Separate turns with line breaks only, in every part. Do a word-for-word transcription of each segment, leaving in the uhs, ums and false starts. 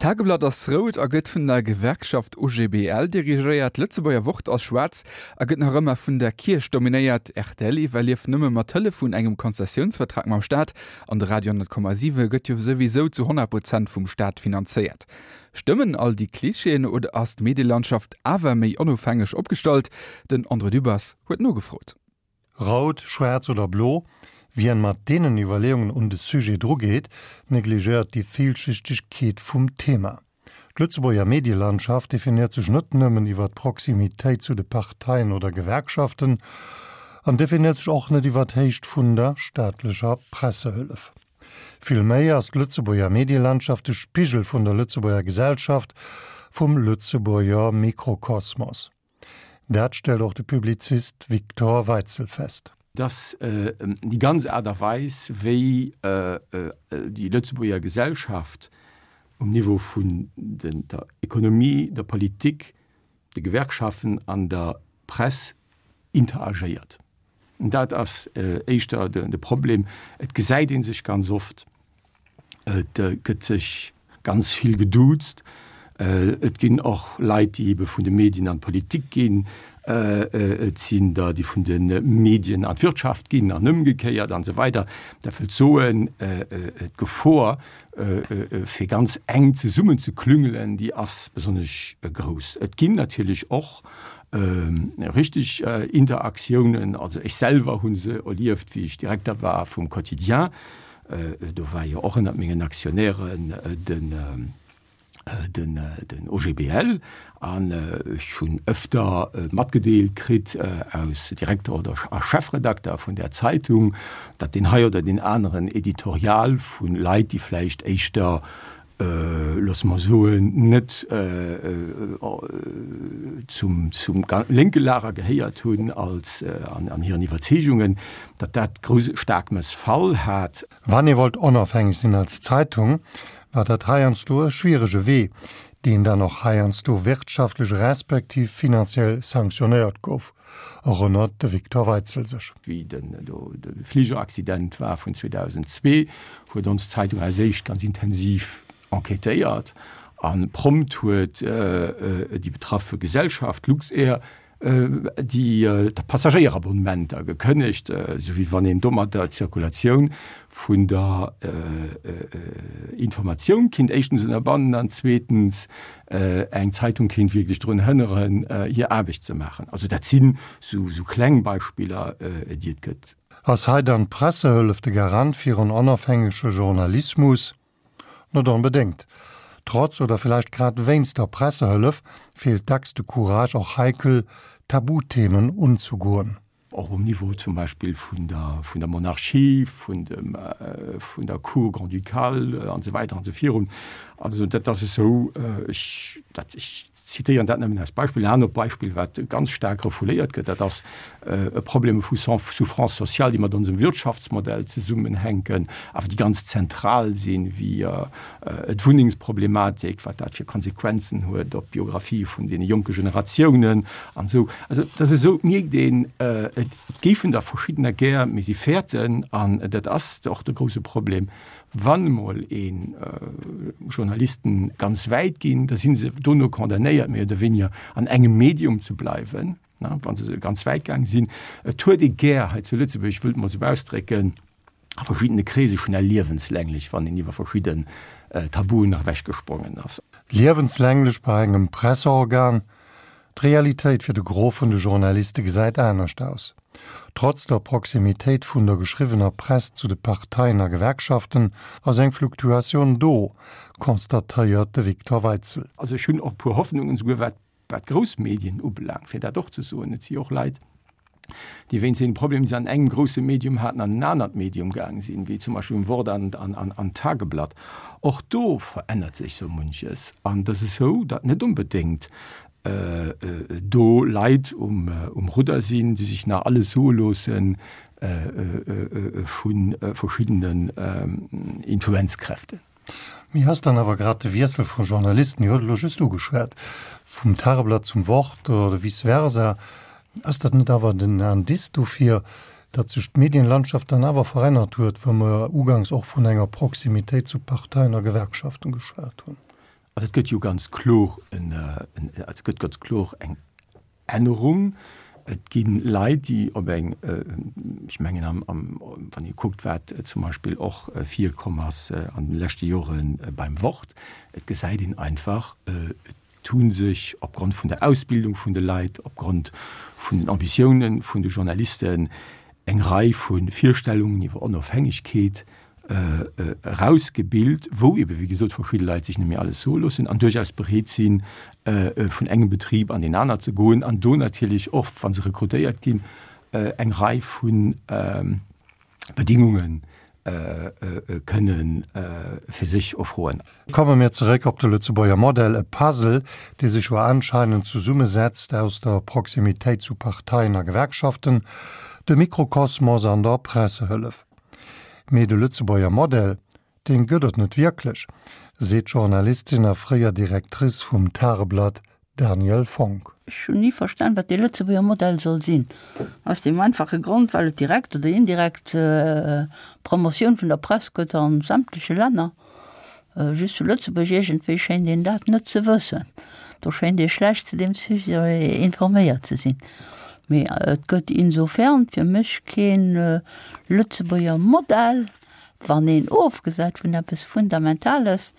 D'Tageblatt ass rout a gëtt vun der Gewerkschaft OGBL dirigéiert, d'Lëtzebuerger Wort ass schwaarz a gëtt nach ëmmer vun der Kierch dominéiert, rtl iwwerlieft nëmme mat Hëllef vun engem Konzessiounsvertrag mam Staat an de Radio honnert Komma siwe gëtt jo souwisou zu honnert Prozent vum Staat finanzéiert. Stëmmen all déi Klischeeën oder ass d'Medielandschaft awer méi onofhängeg opgestallt? Den André Dübbers huet nogefrot.
Rout, schwaarz oder blo, wien mat deenen Iwwerleeungen un de Sujet drugeet, negligéiert déi Villschichtegkeet vum Thema. D'Lëtzebuerger Medielandschaft definéiert sech net nëmmen iwwer d'Proximitéit zu de Parteien oder Gewerkschaften an definéiert sech och net iwwer d'Héicht vun der staatlecher Pressehëllef. Villméi ass d'Lëtzebuerger Medielandschaft de Spigel vun der Lëtzebuerger Gesellschaft, vum Lëtzebuerger Mikrokosmos. Dat stellt och de Publizist Victor Weitzel fest.
Dass déi ganz Aart a Weis, wéi déi Lëtzebuerger Gesellschaft um Niveau vun der Ekonomie, der Politik, de Gewerkschaften an der Press interagéiert. Dat ass éischter de Problem. Et gesäit ee sech ganz oft, et gëtt sech ganz vill geduuzt. Et ginn och Leit, déi ebe vun de Medien an d'Politik ginn. Et sinn der, déi vun de Medien an d'Wirtschaft ginn an ëmgekéiert an esou weider. Dat wëllt soen, d'Gefor, fir ganz enk zesummenzeklüngelen, déi ass besonnesch grouss. Et ginn natierlech och richteg Interaktiounen. Also ech selwer hu se erlieft, wéi ech Direkter war vum Quotidien. Do war jo och ënnert mengen Aktionären den den den O G B L an ech hunn ëfter matgedeelt kritt aus Direkter oder a Chefredakter vun där Zeitung, datt deen hei oder deen aneren Editorial vu Leit, déi vläicht éischter, loosse mer soen, net zum zum lénke Lager gehéiert hunn als an an hiren Iwwerzeegungen, datt dat grouss staark Mëssfall hat.
Wann ee wollt onofhängeg sinn als Zeitung, war dat heiansdo e schwierege Wee, deen dann och heiansdo wirtschaftlech respektiv finanziell sanktionéiert gouf, erënnert de Victor Weitzel sech.
Wéi den do de Fligeraccident war vun zweedausendzwee, huet ons Zeitung als éischt ganz intensiv enquêtéiert a prompt huet déi betraffe Gesellschaft Luxair déi Passagéierabonnementer gekënnegt, esou wéi wann een domadder d'Zirkulatioun vun der Informatioun kinnt éischtens ënnerbannen an zweetens eng Zeitung kinnt wierklech drun hënneren, hir Aarbecht ze maachen. Also dat sinn esou kleng Beispiller, déi et gëtt.
Ass hei dann d'Pressehëllef de Garant fir en onofhängege Journalismus? Net onbedéngt. Trotz oder villäicht grad wéinst der Pressehëllef feelt dacks de Courage, och heikel Tabuthemen unzegoen.
Och um Niveau zum Beispill vun der vun der Monarchie, vun dem vun der Cour grand-ducale an esou weider an esou virun. Also dat ass esou, ech dat ech zitéieren dat nëmmen als Beispill. En anert Beispill, wat ganz staark refouléiert gëtt, dat ass e Problem vu Souffrance sociale, déi mat onsem Wirtschaftsmodell zesummenhänken, awer déi ganz zentral sinn, wéi d'Wunnengsproblematik, wat dat fir Konsequenzen huet op d'Biographie vun deene jonke Generatiounen an esou. Also et ass esou, et mierkt een, et géifen der verschiddener gär, mee si fäerten, an dat ass och de grouse Problem, Wann emol ee Journalisten ganz wäit ginn, da si se dono condamnéiert, méi oder wéiniger an engem Medium ze bleiwen, wa se ganz wäit gaang sinn. Et huet ee gär hei zu Lëtzebuerg, ech wëll et emol esou ausdrécken, a verschiddene Kreese schnell liewenslänglech, wann een iwwer verschidden Tabuen ewechgesprongen ass.
Liewenslänglech bei engem Presseorgan? D'Realitéit fir de Gros vun de Journaliste gesäit anescht aus. Trotz der Proximitéit vun der geschriwwener Press zu de Parteien a Gewerkschaften ass eng Fluktuatioun do, constatéiert de Victor Weitzel.
Also ech hunn och e puer Hoffnungen, esouguer wat wat grouss Medien ubelaangt, fir dat och ze soen. Et si och Leit, déi wéinst deene Problemer, déi se an engem grousse Medium haten, an en anert Medium gaang sinn, wéi zum Beispill um Wort an an d'Tageblatt. Och do verännert sech sou munches. An et ass esou, datt net onbedéngt do Leit um Rudder sinn, déi sech nach alles soe loosse vu verschiddenen Influenzkräften.
Mee ass dann awer grad de Wiessel vu Journalisten, Dir hutt et elo just ugeschwat, vum Tageblatt zum Wort oder vice versa, ass dat net awer den Indice dofir, datt sech d'Medienlandschaft dann awer verännert huet, wou mer uganks och vun enger Proximitéit zu Parteien a Gewerkschaften geschwat hunn?
Also et gëtt jo ganz kloer en, et gëtt ganz kloer eng Ännerung. Et gi Leit, déi op eng, ech mengen am, am, wann ee kuckt, wat zum Beispill och virkomm ass an de leschte Jore beim Wort, et gesäit een einfach, et hu sech opgrond vun der Ausbildung vun de Leit, opgrond vun den Ambitiounen vun de Journalisten eng Rei vu Virstellungen iwwer Onofhängegkeet erausgebilt, wou ebe wéi gesot verschidde Leit sech net méi alles soe loossen an duerchaus bereet sinn, vun engem Betrib an deen aner ze goen an do natierlech och, wa se rekrutéiert ginn, eng Rei vu Bedingunge kënne fir sech erfroen.
Komme mir zeréck op de Lëtzebuerger Modell, e Puzzle, dee sech jo anscheinend zesummesetzt aus der Proximitéit zu Parteien a Gewerkschaften, dem Mikrokosmos an der Pressehëllef. Mee de Lëtzebuerger Modell, deen gëtt et net wierklech, seet d'Journalistin a fréier Directrice vum Tageblatt Danièle Fonck.
Ech hunn ni verstan, wat dee Lëtzebuerger Modell soll sinn. Aus deem einfache Grond, well et direkt oder indirekt Promotioun vun der Press gëtt a sämtleche Länner. Just zu Lëtzebuerg iergendwéi schéint een dat net ze wëssen. Do schéint ee schlecht zu deem Sujet informéiert ze sinn. Mee et gëtt insofern fir mech kee Lëtzebuerger Modell, wann een ofgesäit vun eppes Fundamentales,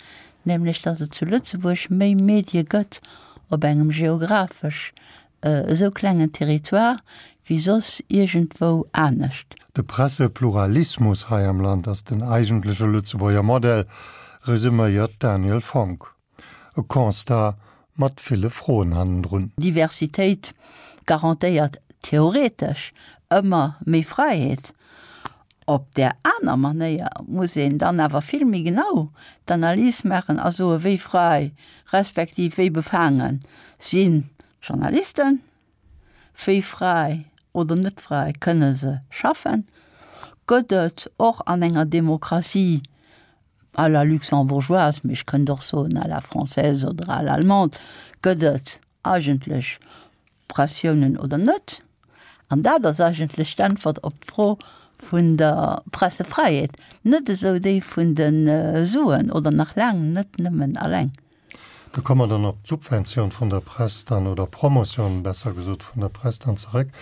nämlech datt et zu Lëtzebuerg méi Medie gëtt op engem geographesch esou klengen Territoire wéi soss iergendwou anescht.
De Pressepluralismus hei am Land ass den eigentleche Lëtzebuerger Modell, resuméiert d'Danièle Fonck. E Constat mat ville Froen hannendrun.
Diversitéit garantéiert theoretesch ëmmer méi Fräiheet. Op där aner Manéier muss een dann awer vill méi genau d'Analys maachen a soen, wéi fräi respektiv wéi befaange sinn d'Journalisten, wéi fräi oder net fräi kënne se schaffen. Gëtt et och an enger Demokratie à la luxembourgeoise, mee ech kënnt och soen à la française oder à l'allemande, gëtt et eigentlech Pressiounen oder net? An dat ass eigentlech d'Äntwert op d'Fro vun der Pressefräiheet, net esou déi vun de Suen oder nach laang net nëmmen alleng.
Do komme mer dann op d'Subventioun vun der Press dann, oder Promotioun besser gesot vun der Press dann zeréck.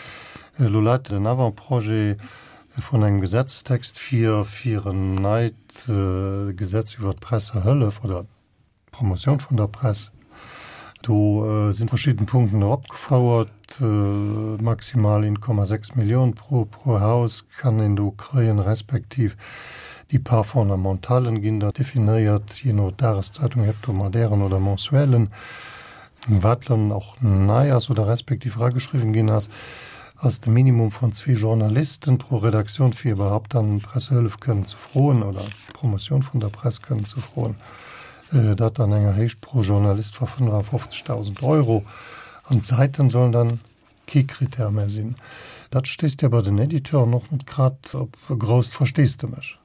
Elo läit den Avant-projet vun engem Gesetzestext vir, fir en neit Gesetz iwwert d'Pressehëllef oder d'Promotioun vun der Press. Do si verschidden Punkten opgefouert, maximal een Komma sechs Millioun pro pro Haus kann een do kréien, respektiv déi Part fondamentalen ginn da definéiert, jee no Dageszeitung, hebdomadären oder mensuellen. Wat dann och nei ass oder respektiv erageschriwwen ginn ass, ass de Minimum vun zwee Journalisten pro Redaktioun, fir iwwerhaupt dann Pressehëllef kënnen ze froen oder Promotioun vun der Press kënnen ze froen, dat an enger Héicht pro Journalist vu fënnefafofzegdausend Euro. An d'Säiten sollen dann kee Critère méi sinn. Dat stéisst jo bei den Editeuren och net grad op e grousst Versteesdemech.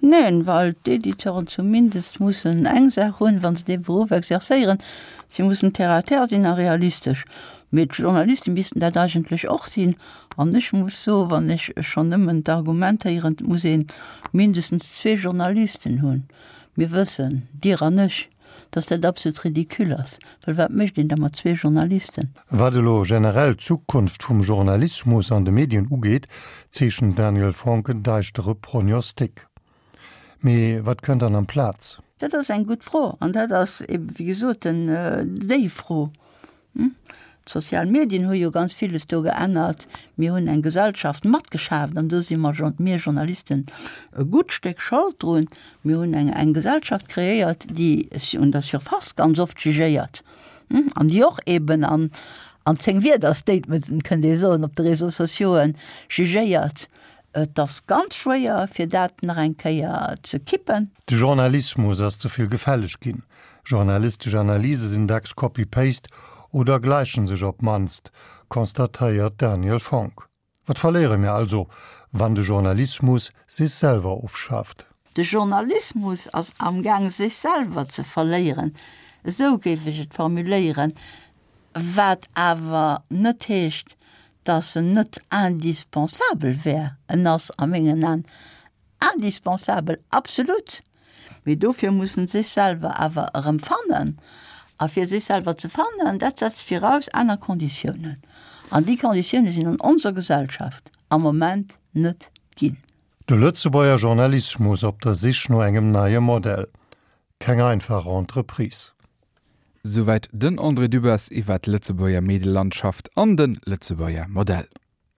Neen, well d'Editeuren zumindest mussen eng Saach hunn, wa se dee Beruff exerzéieren, Si mussen terre à terre sinn a realistesch. Mee d'Journaliste missten dat eigentlech och sinn. An ech muss soen, wann ech schonn nëmmen d'Argument héieren, et muss ee mindestens zwee Journalisten hunn, mir wëssen, Dir an ech, dass dat absolut ridicule ass, well wat mécht een da mat zwee Journalisten?
Wat elo generell d'Zukunft vum Journalismus an de Medien ugeet, zeechent Daniel Fonck en däischtere Prognostic. Mee wat kënnt dann amplaz?
Dat ass eng gutt Fro an dat ass ebe wéi gesot déi Fro. D'sozial Medien hu jo ganz villes do geännert. Mir hunn eng Gesellschaft matgeschaaft an do si mer, mir Journalisten, e gutt Stéck Schold drun. Mir hunn eng eng Gesellschaft kreéiert, déi un der Surface ganz oft jugéiert an déi och eben an an zéng Wierder, Statementen, kënnt ee soen, op de Réseaux sociauxen jugéiert. Et ass ganz schwéier, fir dat nach eng Kéier ze kippen.
De Journalismus ass ze vill gefälleg ginn. Journalistesch Analyse sinn dacks Copy-Paste oder gläichen sech op d'mannst, constatéiert d'Danièle Fonck. Wat verléiere mir also, wann de Journalismus sech selwer ofschaaft?
De Journalismus ass amgaang sech selwer ze verléieren, esou géif ech et formuléieren, wat awer net heescht, dass en net indispensabel wär. En ass a mengen Aen indispensabel, absolut, Mee dofir mussen sech selwer awer erëm fannen. A fir sech selwer ze fannen, dat setzt viraus aner Konditiounen. An déi Konditioune sinn an onser Gesellschaft am Moment net ginn.
De Lëtzebuerger Journalismus op der Sich no engem neie Modell. Keng einfach Entreprise.
Souwäit den André Dübbers iwwer d'Lëtzebuerger Medielandschaft an de Lëtzebuerger Modell.